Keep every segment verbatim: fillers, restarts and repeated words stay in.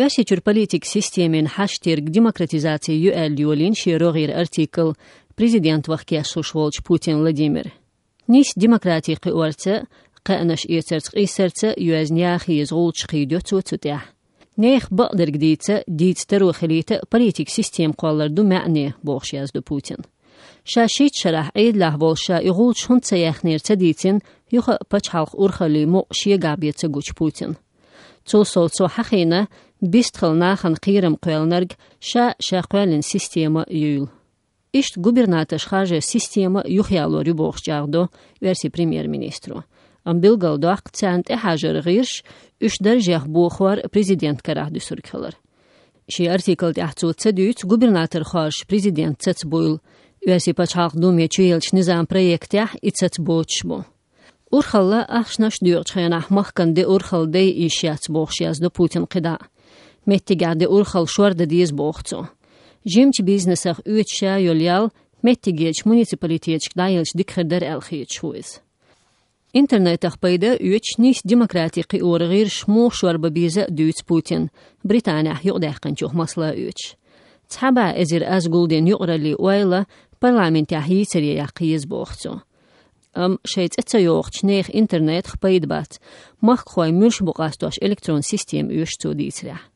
Оьрсийчуьра политикан системин хьаштирг демократизаци ю аьлла йолийна шен рогӀера артикл президент ваха кечлуш волчу Путин Владимира. Нийса демократи кхиорца, кхаьънаш эцарца, къийсарца йоьзна яха еза гӀулчаш кхийдо цо цу тӀехь. Нехан бакъдерг дийца, дийца таро хилийта политикан система кхоллар ду маьӀне, бохуш яздо Путина. Ша шийтта шарахь Ӏедалехь волуш ша и гӀулчаш хӀунда ца яьхнера ца дийцина, юха а пачхьалкхан урхаллин мукъ шегахь бен ца гучу Путина. Цул сов цо хьахийна, бистхила нахана кхерам кхоьллинарг ша, ша кхоьллина система юйла. Иштта губернаторш харжаран система юхаялор ю бохуш чӀагӀдо оьрсийн премьер-министро. Амма билгалдоккху царна тӀехьажар гӀирс, уьш даржех бохор президент карахь дуьсург хилар. Шен артикл тӀехь цо ца дуьйцу губернатор хоржуш президент цацбуйла. Оьрсийн пачхьалкх Думе чуеллачу низам проектехь и цацбоцуш бу. Урхалла ахчанаш доькъучу хенахь махкана де урхалла дай йиш яц бохуш яздо Путина кхидӀа. Меттигехь де урхалла шордан деза боху цо. Жимачу бизнесах оьцуш ша йолу ял меттигерчу муниципалитеташка дӀаелча дика хир дара аьлла хеташ ву иза. Интернетах пайда оьцуш нийса демократи кхиоран гӀирсаш муха шорбан беза а дуьйцу Путина, Британехь юкъадаьккхинчух масала оьцуш. Цхьа бӀе эзар аз гулден юкъараллин ойла парламентехь йийцаре яккха еза боху цо. Амма шайн цӀе ца йохучу нехан интернетах пайда бац, махкахой муьлш бу къастош электрон система оьшу цо дийцарехь.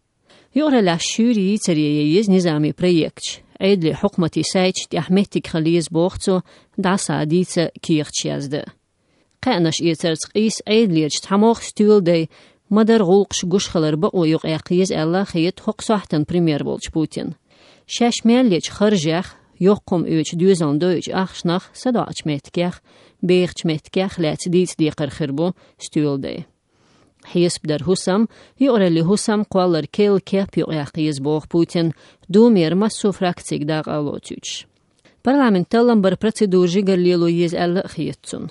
Юкъараллаш шуьйра йийцаре ян еза низамийн проекташ, Ӏедалан хьукматийн сайташ тӀехь меттиг хила еза боху цо, дӀасадийца кехаташ язда. Кхаьънаш эцарца къийса Ӏедалерчу цхьамогӀа стоьладай ма-дарра гӀуллакхаш гуш хилар бакъо юкъаяккха еза аьлла хета хӀокху сохьтан премьер волчу Путина. Шаьш мел ечу харжех, йоккха хӀума оьцу доьзална дойучу ахчанах садоӀучу меттигех, бехачу меттигех лаьцна дийца декхар хир бу стоьладай. Хьесап дар хӀусам, юкъараллин хӀусам кхоллар керла кеп юкъаяккха еза боху Путина, Думера массо а фракцига дакъа а лоцуьйтуш. Парламентан таллам баран процедура жигара лело еза аьлла а хета цунна.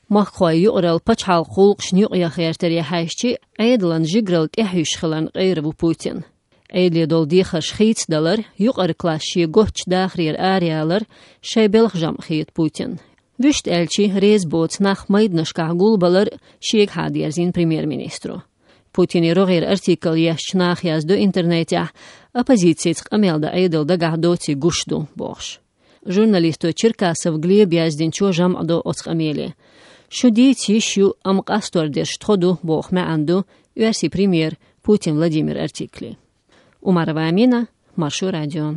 Махкахой юкъаралла пачхьалкхан гӀуллакхашна юкъаяха гӀертаре хьаьжча, Ӏедалан жигаралла тӀехьуьйсуш хиларна къера ву Путин. Ӏедале долу дехарш хийцадалар, юкъара класс шен готтачу дахарера араялар шайн белхан жамӀ хета Путина. Вуьшта аьлча, реза боцу нах майданашкахь гулбалар шегахьа дерзийна премьер-министро. Путинан рогӀера артикл ешначу наха яздо интернетехь, оппозицица къамел дан Ӏедал дагахь доций гуш ду, бохуш. Журналисто Черкасов Глеба яздинчо жамӀ до оцу къамеле. Шу дийца йиш ю, амма къастор дерш тхо ду, боху маьӀна ду оьрсийн премьер Путин Владимир артикле. Умарова Амина, Маршо радио.